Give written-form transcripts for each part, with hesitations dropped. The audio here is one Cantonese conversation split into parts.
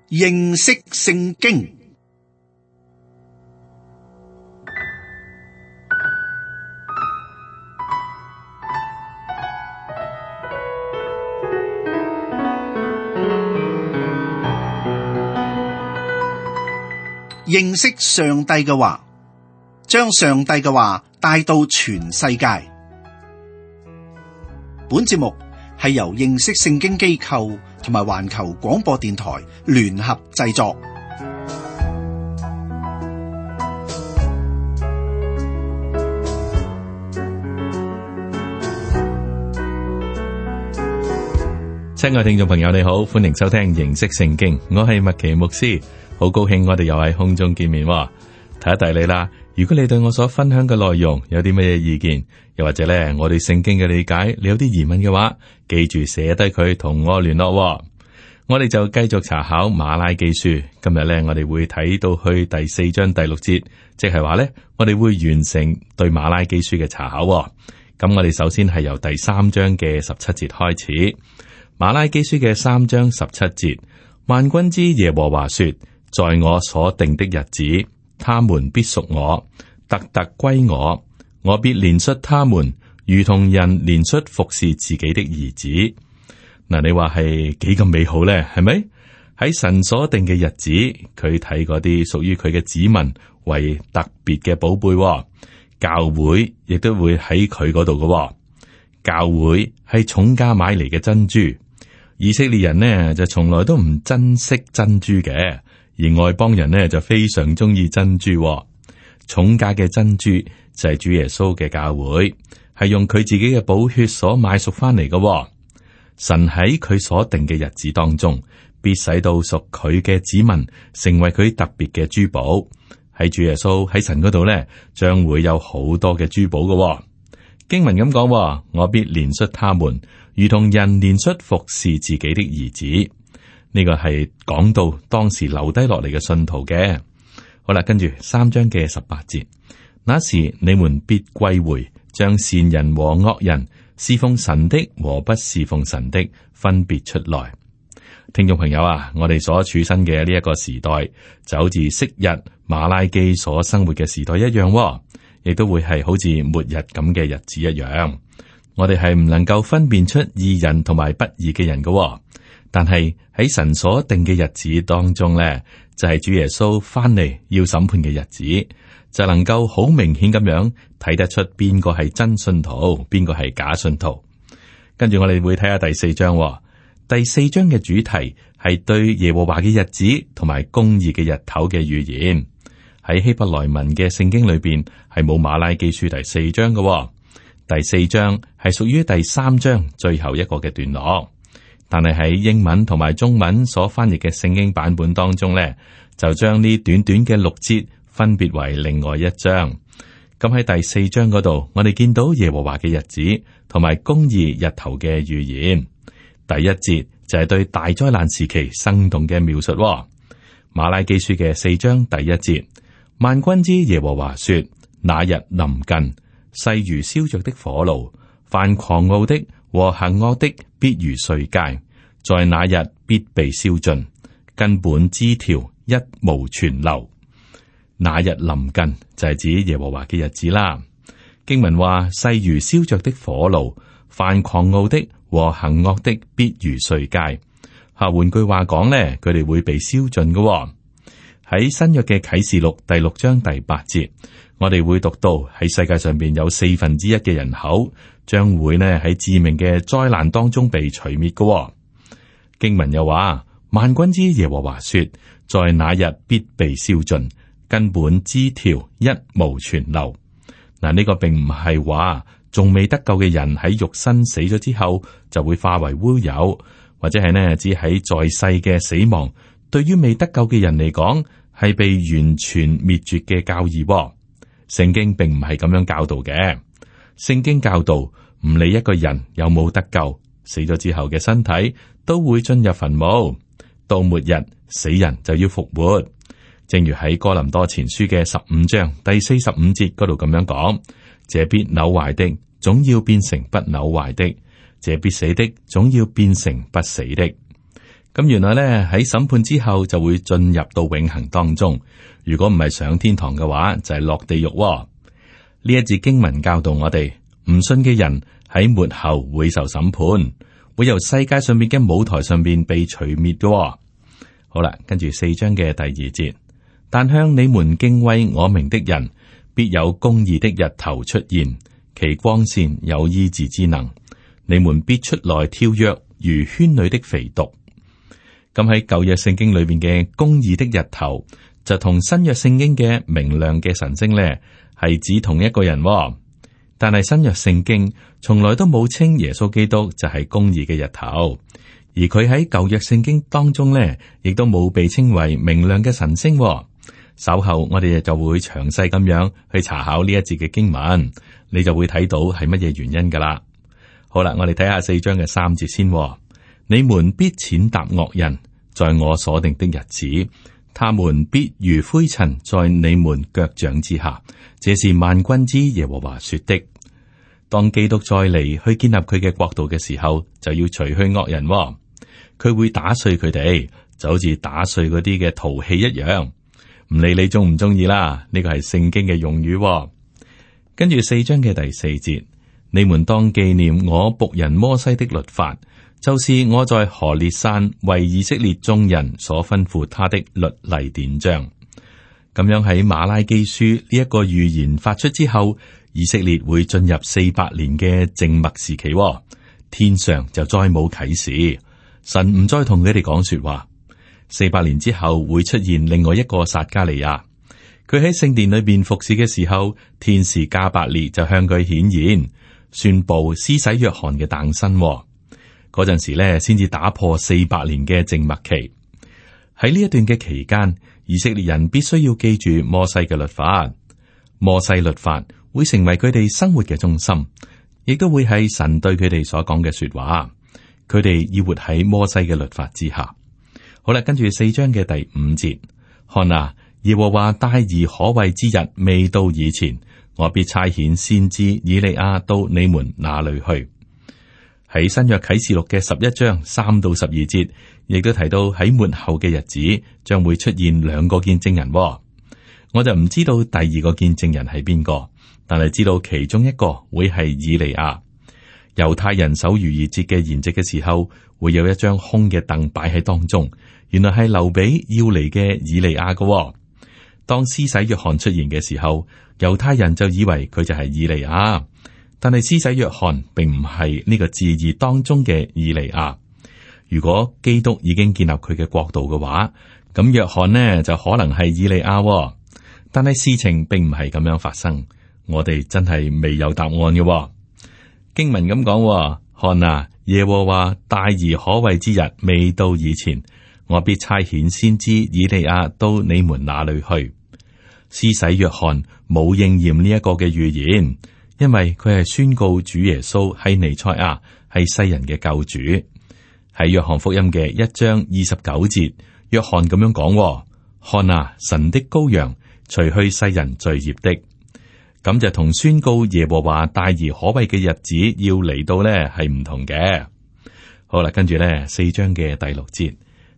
認識聖經。認識上帝嘅話，將上帝嘅話帶到全世界。本節目係由認識聖經機構同埋環球廣播電台聯合製作。親愛聽眾朋友，你好，歡迎收聽認識聖經，我係麥奇牧師，好高興我哋又喺空中見面。提一提你啦，如果你對我所分享嘅內容有啲乜嘢意見，又或者咧我對聖經嘅理解你有啲疑問嘅話，記住寫低佢同我聯絡。我哋就繼續查考馬拉基書，今日咧我哋會睇到去第4章第6節，即係話咧我哋會完成對馬拉基書嘅查考。咁我哋首先係由第3章嘅17節開始。馬拉基書嘅3章17節，萬軍之耶和華說，在我所定的日子，他們必屬我，特特歸我，我必憐恤他們，如同人憐恤服侍自己的兒子。嗱，你話係幾咁美好咧？係咪？喺神所定嘅日子，佢睇嗰啲屬於佢嘅子民為特別嘅寶貝，教會亦都會喺佢嗰度嘅。教會係重價買嚟嘅珍珠。以色列人呢就從來都唔珍惜珍珠嘅，而外邦人呢就非常中意珍珠。重價嘅珍珠就係主耶穌嘅教會，係用佢自己嘅寶血所買贖翻嚟嘅。神喺佢所定嘅日子當中，必使到屬佢嘅子民成為佢特別嘅珠寶。喺主耶穌喺神嗰度呢，將會有好多嘅珠寶嘅。經文咁講，我必憐恤他們，如同人憐恤服侍自己的兒子。呢個係講到當時留低落嚟嘅信徒嘅。好啦，跟住3章嘅18節，那時你們必歸回，將善人和惡人，侍奉神的和不侍奉神的分別出來。聽眾朋友啊，我哋所處身嘅呢一個時代，就好似昔日馬拉基所生活嘅時代一樣，亦都會係好似末日咁嘅日子一樣。我哋係唔能夠分辨出義人同埋不義嘅人嘅，但係喺神所定嘅日子當中呢，就係主耶穌翻嚟要審判嘅日子，就能夠好明顯咁樣睇得出邊個係真信徒，邊個係假信徒。跟住我哋會睇下第4章，第4章嘅主題係對耶和華嘅日子同埋公義嘅日頭嘅預言。喺希伯來文嘅聖經裏邊係冇馬拉基書第4章嘅。第4章係屬於第3章最後一個嘅段落，但係喺英文同埋中文所翻譯嘅聖經版本當中呢，就將呢短短嘅6節分別為另外一章。咁喺第4章嗰度，我哋見到耶和華嘅日子同埋公義日頭嘅預言。第1節就係對大災難時期生動嘅描述。馬拉基書嘅4章第1節，萬軍之耶和華說，那日臨近，勢如燒着的火爐，凡狂傲的和行惡的必如碎秸，在那日必被燒盡，根本枝條一無存留。那日臨近就係指耶和華嘅日子啦。經文話，勢如燒着的火爐，凡狂傲的和行惡的必如碎秸。換句話講呢，佢哋會被燒盡嘅。喺新約嘅啟示錄第6章第8節，我哋會讀到喺世界上邊有1/4嘅人口將會呢喺致命嘅災難當中被除滅嘅。經文又話，萬軍之耶和華說，在那日必被燒盡，根本枝條一無存留。嗱，呢個並唔係話仲未得救嘅人喺肉身死咗之後就會化為烏有，或者係呢只喺在世嘅死亡，對於未得救嘅人嚟講係被完全滅絕嘅教義。聖經並唔係咁樣教導嘅。聖經教導唔理一個人有冇得救，死咗之後嘅身體都會進入墳墓，到末日死人就要復活。正如喺哥林多前書嘅15章第45節嗰度咁樣講，這必朽壞的總要變成不朽壞的，這必死的總要變成不死的。咁原來咧喺審判之後就會進入到永恆當中。如果唔係上天堂嘅話，就係落地獄喎。呢一節經文教導我哋，唔信嘅人喺末後會受審判，會由世界上面嘅舞台上面被除滅嘅喎。好啦，跟住4章嘅第2節，但向你們敬畏我名的人，必有公義的日頭出現，其光線有醫治之能，你們必出來跳躍，如圈裏的肥犢。咁喺舊約聖經裏邊嘅公義的日頭，就同新約聖經嘅明亮嘅晨星咧，係指同一個人喎。但係新約聖經從來都冇稱耶穌基督就係公義嘅日頭，而佢喺舊約聖經當中咧，亦都冇被稱為明亮嘅晨星喎。稍後我哋就會詳細咁樣去查考呢一節嘅經文，你就會睇到係乜嘢原因噶啦。好啦，我哋睇下4章嘅3節先喎。你們必踐踏惡人，在我所定的日子，他們必如灰塵在你們腳掌之下。這是萬軍之耶和華說的。當基督再嚟去建立佢嘅國度嘅時候，就要除去惡人喎。佢會打碎佢哋，就好似打碎嗰啲嘅陶器一樣。唔理你中唔中意啦，呢個係聖經嘅用語喎。跟住4章嘅第4節，你們當紀念我僕人摩西的律法，就是我在何烈山為以色列眾人所吩咐他的律例典章。咁樣喺馬拉基書呢一個預言發出之後，以色列會進入400年嘅靜默時期喎。天上就再冇啟示，神唔再同佢哋講說話。400年之後會出現另外一個撒迦利亞，佢喺聖殿裏邊服侍嘅時候，天使加百列就向佢顯現，宣布施洗約翰嘅誕生。嗰陣時咧，先至打破400年嘅靜默期。喺呢一段嘅期間，以色列人必須要記住摩西嘅律法。摩西律法會成為佢哋生活嘅中心，亦都會係神對佢哋所講嘅說話。佢哋要活喺摩西嘅律法之下。好啦，跟住4章嘅第5節，看啊，耶和華大而可畏之日未到以前，我必差遣先知以利亞到你們那裏去。喺新約啟示錄嘅11章3到12節，亦都提到喺末後嘅日子將會出現2個見證人。我就唔知道第2個見證人係邊個，但係知道其中一個會係以利亞。猶太人守逾越節嘅筵席嘅時候，會有一張空嘅凳擺喺當中，原來係留俾要嚟嘅以利亞嘅。當施洗約翰出現嘅時候，猶太人就以為佢就係以利亞，但係施洗約翰並唔係呢個字義當中嘅以利亞。如果基督已經建立佢嘅國度嘅話，咁約翰呢就可能係以利亞。但係事情並唔係咁樣發生，我哋真係未有答案嘅。經文咁講，看啊，耶和華大而可畏之日未到以前，我必差遣先知以利亞到你們那裏去。施洗約翰冇應驗呢一個嘅預言，因為佢係宣告主耶穌係彌賽亞，係世人嘅救主。喺約翰福音嘅1章29節，約翰咁樣講，看啊，神的羔羊，除去世人罪孽的。咁就同宣告耶和華大而可畏嘅日子要嚟到呢係唔同嘅。好啦，跟住呢4章嘅第6節，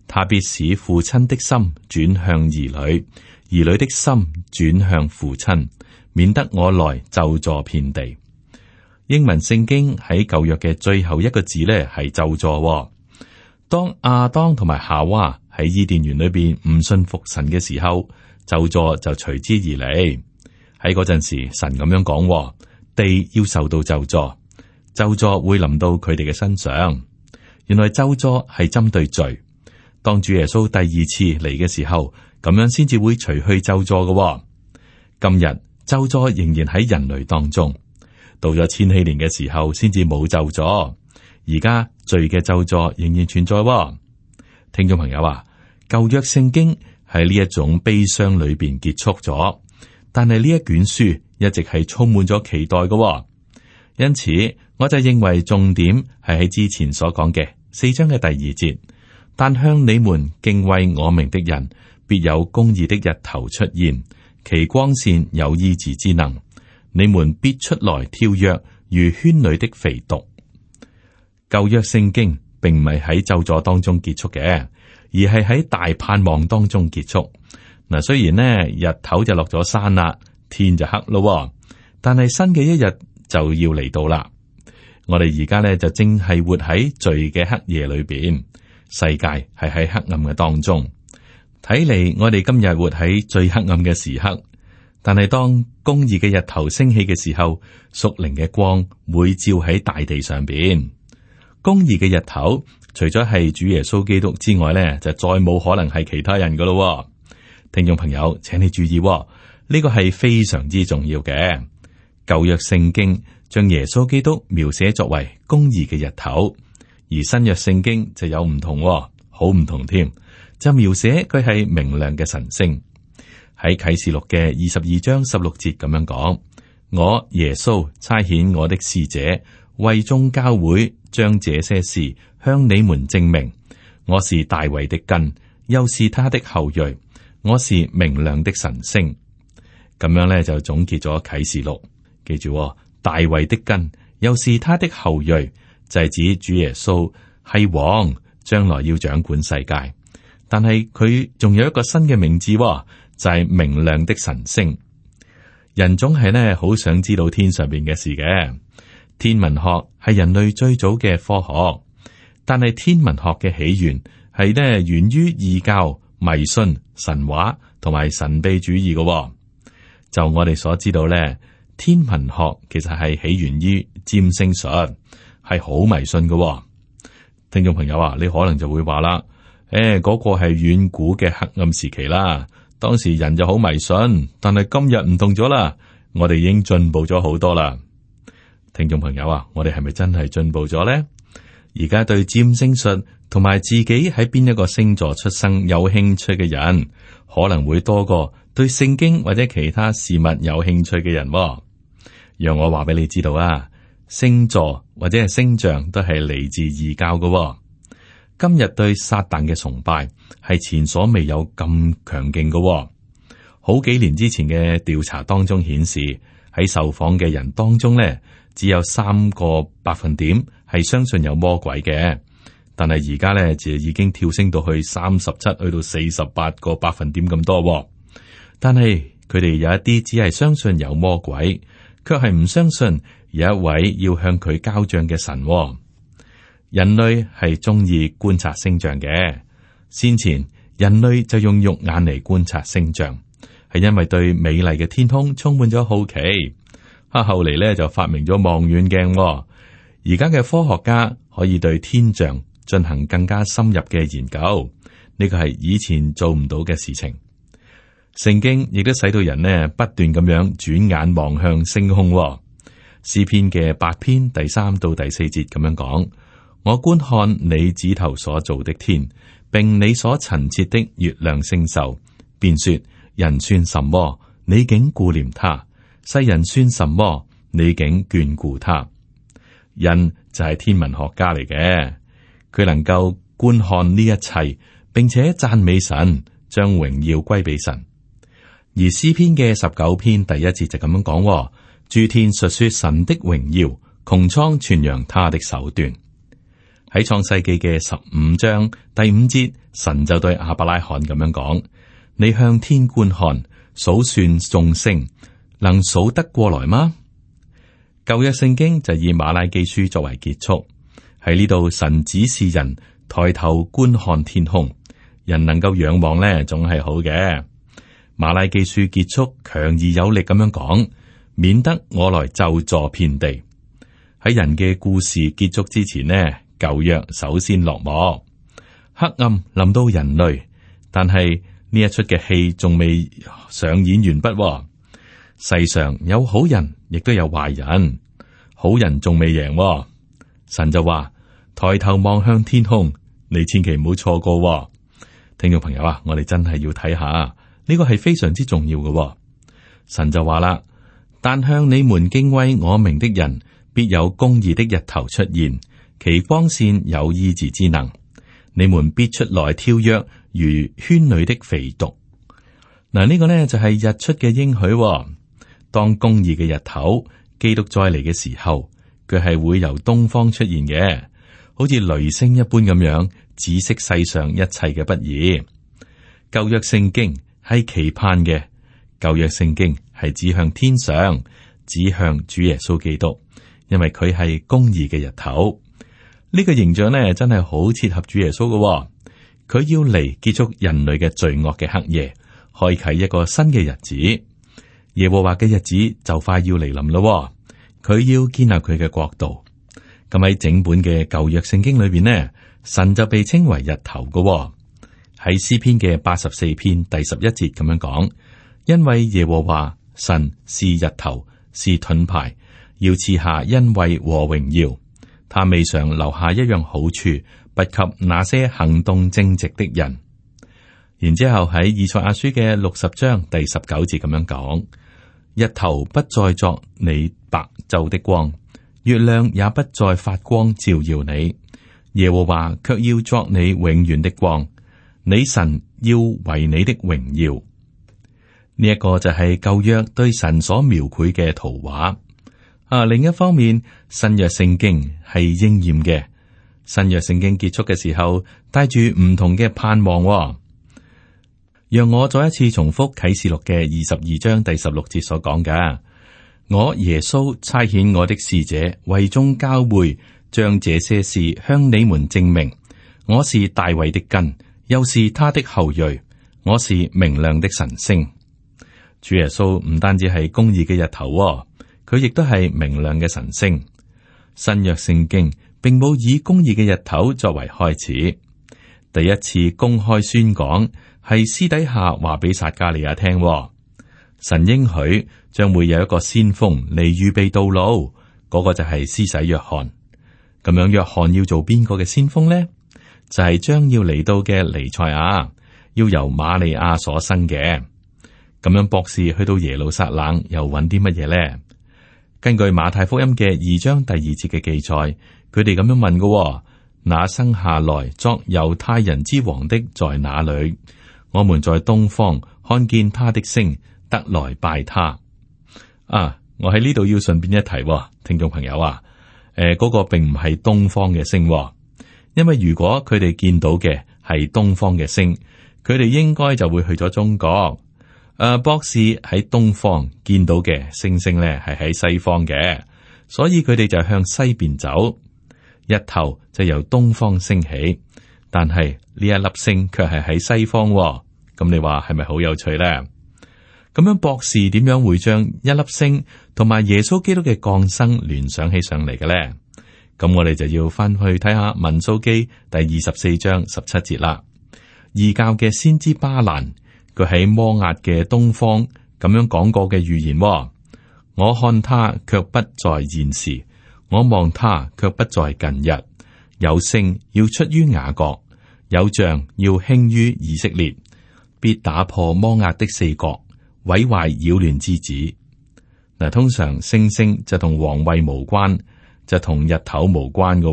他必使父親的心轉向兒女，兒女的心轉向父親，免得我來咒詛遍地。英文聖經喺舊約嘅最後一個字呢係咒詛。當亞當同埋夏娃喺伊甸園裏邊唔信服神嘅時候，咒詛就隨之而嚟。喺嗰陣時，神咁樣講，地要受到咒詛，咒詛會臨到佢哋嘅身上。原來咒詛係針對罪。當主耶穌第2次嚟嘅時候，咁樣先至會除去咒詛嘅。今日咒詛仍然喺人類當中，到咗千禧年嘅時候，先至冇咒詛。而家罪嘅咒詛仍然存在。聽眾朋友啊，舊約聖經喺呢一種悲傷裏邊結束咗。但係呢一卷書一直係充滿咗期待嘅，因此我就認為重點係喺之前所講嘅4章嘅第2節。但向你們敬畏我名的人，必有公義的日頭出現，其光線有醫治之能，你們必出來跳躍，如圈裏的肥犢。舊約聖經並唔係喺咒詛當中結束嘅，而係喺大盼望當中結束。嗱，雖然呢日頭就落咗山啦，天就黑咯，但係新嘅一日就要嚟到啦。我哋而家呢就正係活喺罪嘅黑夜裏邊，世界係喺黑暗嘅當中。睇嚟我哋今日活喺最黑暗嘅時刻，但係當公義嘅日頭升起嘅時候，屬靈嘅光會照喺大地上邊。公義嘅日頭，除咗係主耶穌基督之外呢，就再冇可能係其他人噶咯。聽眾朋友，請你注意，呢個係非常之重要嘅。舊約聖經將耶穌基督描寫作為公義嘅日頭，而新約聖經就有唔同，好唔同添，就描寫佢係明亮嘅晨星。喺啟示錄嘅22章16節咁樣講：我耶穌差遣我的使者，為眾教會將這些事向你們證明。我是大衛的根，又是他的後裔，我是明亮的晨星。咁樣咧就總結咗啟示錄。記住，大衛的根，又是他的後裔，就係指主耶穌係王，將來要掌管世界。但係佢仲有一個新嘅名字，就係明亮的晨星。人總係呢好想知道天上邊嘅事嘅。天文學係人類最早嘅科學，但係天文學嘅起源係呢源於異教、迷信、神話同埋神秘主義嘅。就我哋所知道咧，天文學其實係起源於占星術，係好迷信嘅。聽眾朋友啊，你可能就會話啦，嗰個係遠古嘅黑暗時期啦，當時人就好迷信，但係今日唔同咗啦，我哋已經進步咗好多啦。聽眾朋友啊，我哋係咪真係進步咗呢？而家對占星術同埋自己喺邊一個星座出生有興趣嘅人，可能會多過對聖經或者其他事物有興趣嘅人。讓我話俾你知道啊，星座或者係星象都係嚟自異教嘅。今日對撒旦嘅崇拜係前所未有咁強勁嘅。好幾年之前嘅調查當中顯示，喺受訪嘅人當中呢，只有3%係相信有魔鬼嘅，但係而家呢，就已經跳升到去37%去到48%咁多。但係佢哋有一啲只係相信有魔鬼，卻係唔相信有一位要向佢交賬嘅神。人類係中意觀察星象嘅，先前人類就用肉眼嚟觀察星象，係因為對美麗嘅天空充滿咗好奇。後嚟咧就發明咗望遠鏡，而家嘅科學家可以對天象進行更加深入嘅研究，呢個係以前做唔到嘅事情。聖經亦都使到人呢不斷咁樣轉眼望向星空。詩篇嘅8篇第3到第4節咁樣講：我觀看你指頭所造的天，並你所陳設的月亮星宿，便說：人算什麼，你竟顧念他；世人算什麼，你竟眷顧他。人就係天文學家嚟嘅，佢能夠觀看呢一切，並且讚美神，將榮耀歸俾神。而詩篇嘅19篇第1節就咁樣講：諸天述說神的榮耀，穹蒼傳揚他的手段。喺創世記嘅15章第5節，神就對亞伯拉罕咁樣講：你向天觀看，數算眾星，能數得過來嗎？舊約聖經就以馬拉基書作為結束，喺呢度神指示人抬頭觀看天空，人能夠仰望呢，總係好嘅。馬拉基書結束強而有力咁樣講，免得我來咒詛遍地。喺人嘅故事結束之前呢，舊約首先落幕，黑暗臨到人類，但係呢一出嘅戲仲未上演完畢。世上有好人，亦都有壞人，好人仲未贏。神就話：抬頭望向天空，你千祈唔好錯過。聽眾朋友啊，我哋真係要睇下，呢個係非常之重要嘅。神就話啦：但向你們敬畏我名的人，必有公義的日頭出現，其光線有醫治之能，你們必出來跳躍，如圈裏的肥犢。嗱，呢個呢就係日出嘅應許。當公義嘅日頭，基督再嚟嘅時候，佢係會由東方出現嘅，好似雷聲一般咁樣，指識世上一切嘅不義。舊約聖經係期盼嘅，舊約聖經係指向天上，指向主耶穌基督，因為佢係公義嘅日頭。呢個形象呢，真係好切合主耶穌嘅。佢要嚟結束人類嘅罪惡嘅黑夜，開啟一個新嘅日子。耶和華嘅日子就快要嚟臨咯。佢要建立佢嘅國度。咁喺整本嘅舊約聖經裏邊呢，神就被稱為日頭嘅。喺詩篇嘅84篇第11節咁樣講，因為耶和華神是日頭，是盾牌，要賜下恩惠和榮耀。他未嘗留下一樣好處，不給那些行動正直的人。然之後喺以賽亞書嘅60章第19節咁樣講，日頭不再作你白晝的光，月亮也不再發光照耀你，耶和華卻要作你永遠的光，你神要為你的榮耀。呢一個就係舊約對神所描繪嘅圖畫。另一方面，新約聖經係應驗嘅。新約聖經結束嘅時候，帶住唔同嘅盼望。讓我再一次重複啟示錄嘅22章第16節所講嘅：我耶穌差遣我的使者為眾教會，將這些事向你們證明。我是大衛的根，又是他的後裔，我是明亮的晨星。主耶穌唔單止係公義嘅日頭，佢亦都係明亮嘅晨星。新約聖經並冇以公義嘅日頭作為開始，第一次公開宣講係私底下話俾撒迦利亞聽。神應許將會有一個先鋒嚟預備道路，嗰個就係施洗約翰。咁樣，約翰要做邊個嘅先鋒呢？就係將要嚟到嘅彌賽亞，要由瑪利亞所生嘅。咁樣，博士去到耶路撒冷又揾啲乜嘢呢？根據馬太福音嘅2章第2節嘅記載，佢哋咁樣問嘅：那生下來作猶太人之王的在哪裏？我們在東方看見他的星，得來拜他。我喺呢度要順便一提，聽眾朋友嗰個並唔係東方嘅星，因為如果佢哋見到嘅係東方嘅星，佢哋應該就會去咗中國。博士喺東方見到嘅星星咧，係喺西方嘅，所以佢哋就向西邊走。日頭就由東方升起，但係呢一粒星卻係喺西方。咁你話係咪好有趣咧？咁樣博士點樣會將一粒星同埋耶穌基督嘅降生聯想起上嚟嘅咧？咁我哋就要翻去睇下民數記第24章17節啦。異教嘅先知巴蘭，佢喺摩押嘅東方咁樣講過嘅預言。我看他卻不在現時，我望他卻不在近日。有星要出於雅各，有杖要興於以色列，必打破摩押的四角，毀壞擾亂之子。嗱，通常星星就同皇位無關，就同日頭無關嘅。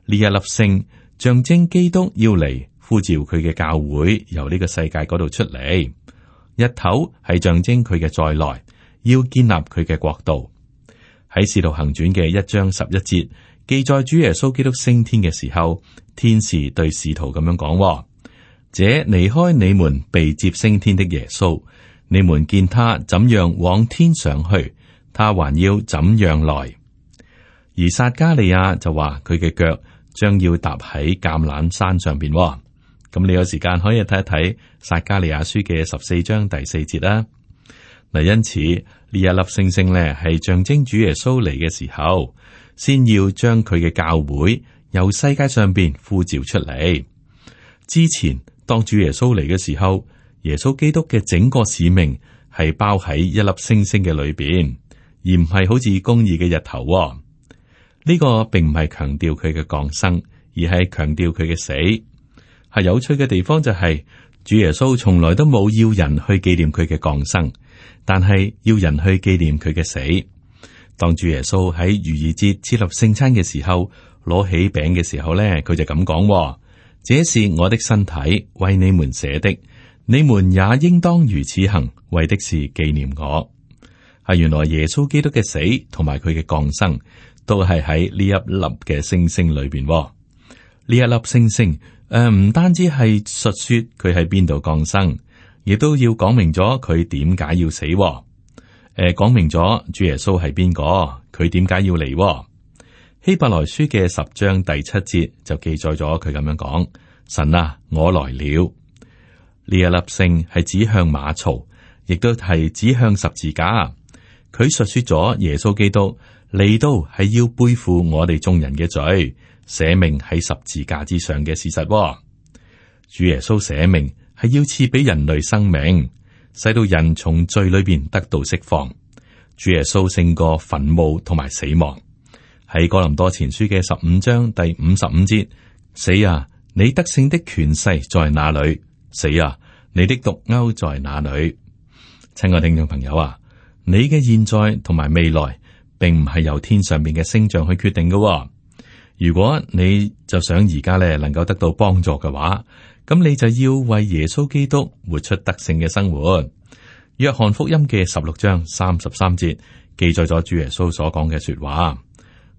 呢一粒星象徵基督要嚟呼召佢嘅教會由呢個世界嗰度出嚟。日頭係象徵佢嘅再來，要建立佢嘅國度。喺使徒行傳嘅1章11節記載主耶穌基督升天嘅時候，天使對使徒咁樣講：這離開你們被接升天的耶穌，你們見他怎樣往天上去，他還要怎樣來。而撒迦利亞就話佢嘅腳將要踏喺橄欖山上邊。咁你有時間可以睇一睇撒迦利亞書嘅14章第4節啦。嗱，因此呢一粒星星咧係象徵主耶穌嚟嘅時候，先要將佢嘅教會由世界上邊呼召出嚟。之前當主耶穌嚟嘅時候，耶穌基督嘅整個使命係包喺一粒星星嘅裏邊，而唔係好似公義嘅日頭。呢個並唔係強調佢嘅降生，而係強調佢嘅死。係有趣嘅地方就係，主耶穌從來都冇要人去紀念佢嘅降生，但係要人去紀念佢嘅死。當主耶穌喺逾越節設立聖餐嘅時候，攞起餅嘅時候咧，佢就咁講：這是我的身體，為你們捨的，你們也應當如此行，為的是紀念我。係原來耶穌基督嘅死同埋佢嘅降生，都係喺呢一粒嘅星星裏邊。呢一粒星星唔單止係述說佢喺邊度降生，亦都要講明咗佢點解要死。講明咗主耶穌係邊個，佢點解要嚟。希伯來書嘅10章第7節就記載咗佢咁樣講：神啊，我來了。呢一粒星係指向馬槽，亦都係指向十字架。佢述說咗耶穌基督嚟到係要背負我哋眾人嘅罪，捨命喺十字架之上嘅事實。主耶穌捨命係要賜俾人類生命，使到人從罪裏邊得到釋放。主耶穌勝過墳墓同埋死亡。喺哥林多前書嘅15章第55節，死啊，你得勝的權勢在哪裏？死啊，你的毒鈎在哪裏？親愛聽眾朋友啊，你嘅現在同埋未來，並唔係由天上邊嘅星象去決定嘅。如果你就想而家咧能夠得到幫助嘅話，咁你就要為耶穌基督活出得勝嘅生活。約翰福音嘅16章33節記載咗主耶穌所講嘅說話：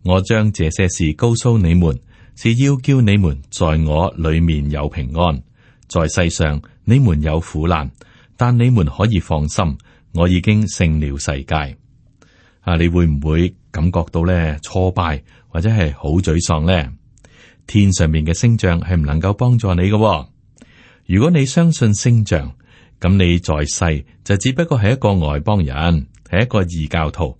我將這些事告訴你們，是要叫你們在我裏面有平安。在世上你們有苦難，但你們可以放心，我已經勝了世界。你會唔會感覺到咧挫敗或者係好沮喪呢？天上面嘅星象係唔能夠幫助你嘅。如果你相信星象，咁你在世就只不過係一個外邦人，係一個異教徒。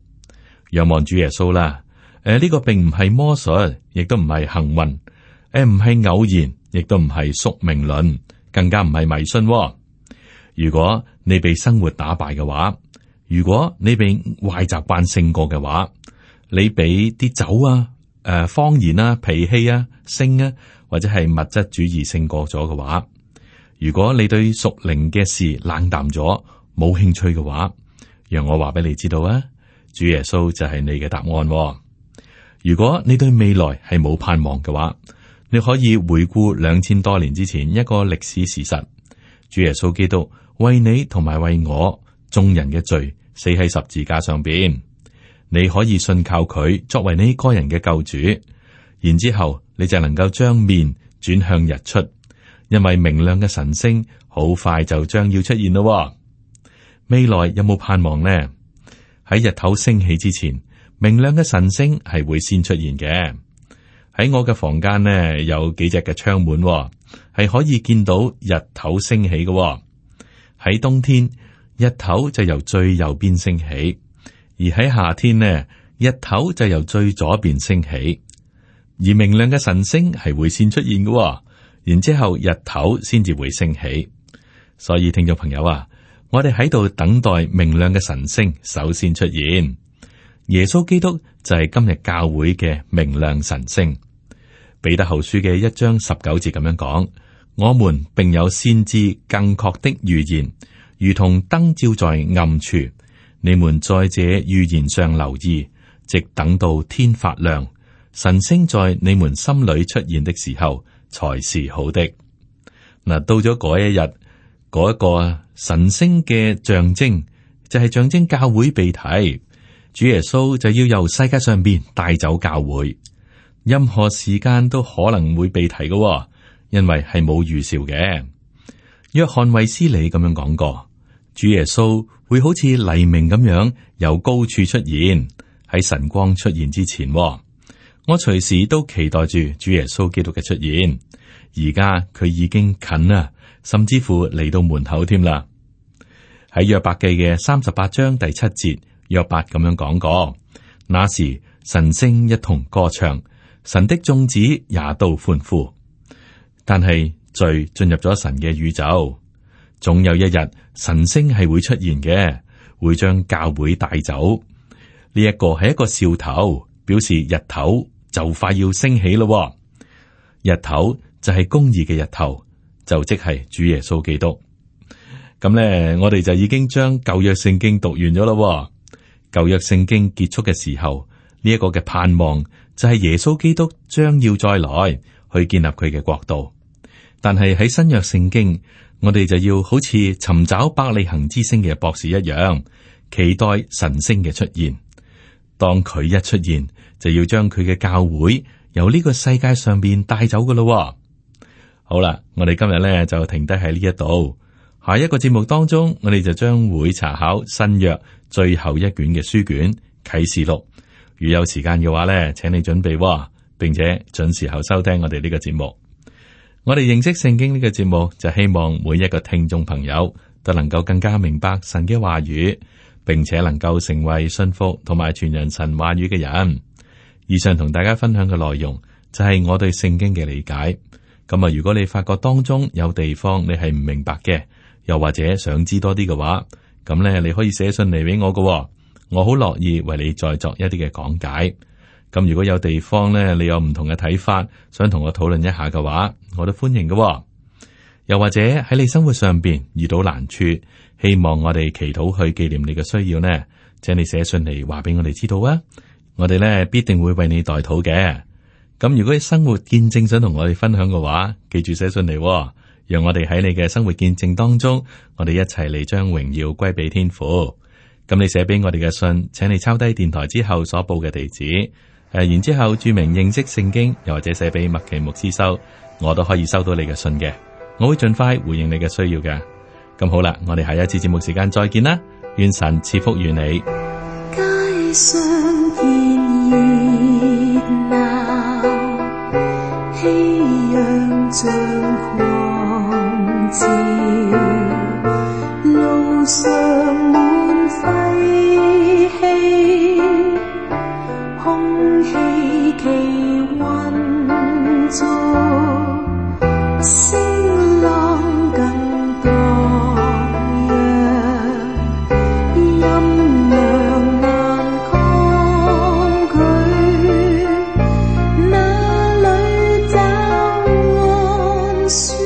仰望主耶穌啦。呢個並唔係魔術，亦都唔係幸運，唔係偶然，亦都唔係宿命論，更加唔係迷信。如果你被生活打敗嘅話，如果你被壞習慣勝過嘅話，你俾啲酒啊、謊言啊、脾氣啊、性啊，或者係物質主義勝過咗嘅話，如果你對屬靈嘅事冷淡咗，冇興趣嘅話，讓我話俾你知道啊，主耶穌就係你嘅答案。如果你對未來係冇盼望嘅話，你可以回顧2000多年之前一個歷史事實：主耶穌基督為你同埋為我眾人嘅罪死喺十字架上邊。你可以信靠佢作為你個人嘅救主，然之後你就能夠將面轉向日出，因為明亮嘅晨星好快就將要出現咯。未來有冇盼望呢？喺日頭升起之前，明亮嘅晨星係會先出現嘅。喺我嘅房間呢，有幾隻嘅窗門，係可以見到日頭升起嘅。喺冬天，日頭就由最右邊升起；而喺夏天呢，日頭就由最左邊升起。而明亮嘅晨星係會先出現嘅，然之後日頭先至會升起。所以聽眾朋友啊，我哋喺度等待明亮嘅晨星首先出現。耶穌基督就係今日教會嘅明亮晨星。彼得後書嘅1章19節咁樣講：我們並有先知更確的預言，如同燈照在暗處。你們在這預言上留意，直等到天發亮，晨星在你們心裏出現的時候，才是好的。嗱，到咗嗰一日，嗰一個晨星嘅象徵就係象徵教會被提。主耶穌就要由世界上邊帶走教會，任何時間都可能會被提嘅，因為係冇預兆嘅。約翰衛斯理咁樣講過，主耶穌會好似黎明咁樣由高處出現，喺晨光出現之前。我隨時都期待住主耶穌基督嘅出現，而家佢已經近啦，甚至乎嚟到門口添啦。喺約伯記嘅38章第7節。約伯咁樣講過，那時晨星一同歌唱，神的眾子也都歡呼。但係罪進入咗神嘅宇宙，總有一日晨星係會出現嘅，會將教會帶走。呢一個係一個兆頭，表示日頭就快要升起咯。日頭就係公義嘅日頭，就即係主耶穌基督。咁咧，我哋就已經將舊約聖經讀完咗咯。舊約聖經結束嘅時候，呢一個嘅盼望就係耶穌基督將要再來去建立佢嘅國度。但係喺新約聖經，我哋就要好似尋找伯利恆之星嘅博士一樣，期待晨星嘅出現。當佢一出現，就要將佢嘅教會由呢個世界上邊帶走噶咯。好啦，我哋今日咧就停低喺呢一度。下一個節目當中，我哋就將會查考新約最後一卷嘅書卷啟示錄。如有時間嘅話咧，請你準備，並且準時候收聽我哋呢個節目。我哋認識聖經呢個節目，就希望每一個聽眾朋友都能夠更加明白神嘅話語，並且能夠成為信服同埋傳人神話語嘅人。以上同大家分享嘅內容就係我對聖經嘅理解。咁啊，如果你發覺當中有地方你係唔明白嘅，又或者想知多啲嘅話，咁咧你可以寫信嚟俾我㗎，我好樂意為你再作一啲嘅講解。咁如果有地方咧你有唔同嘅睇法，想同我討論一下嘅話，我都歡迎㗎。又或者喺你生活上邊遇到難處，希望我哋祈禱去紀念你嘅需要呢，請你寫信嚟話俾我哋知道啊！我哋咧必定會為你代禱嘅。咁如果你生活見證想同我哋分享嘅話，記住寫信嚟，讓我哋喺你嘅生活見證當中，我哋一齊嚟將榮耀歸俾天父。咁你寫俾我哋嘅信，請你抄低電台之後所報嘅地址，然之後注明認識聖經，又或者寫俾麥奇牧師收，我都可以收到你嘅信嘅。我會盡快回應你嘅需要嘅。咁好啦，我哋下一次節目時間再見啦，願神賜福與你。街上見熱鬧，熙攘像狂潮，路上滿廢氣，空氣奇混濁，聲浪更多樣，音量難抗拒，哪裏找安舒？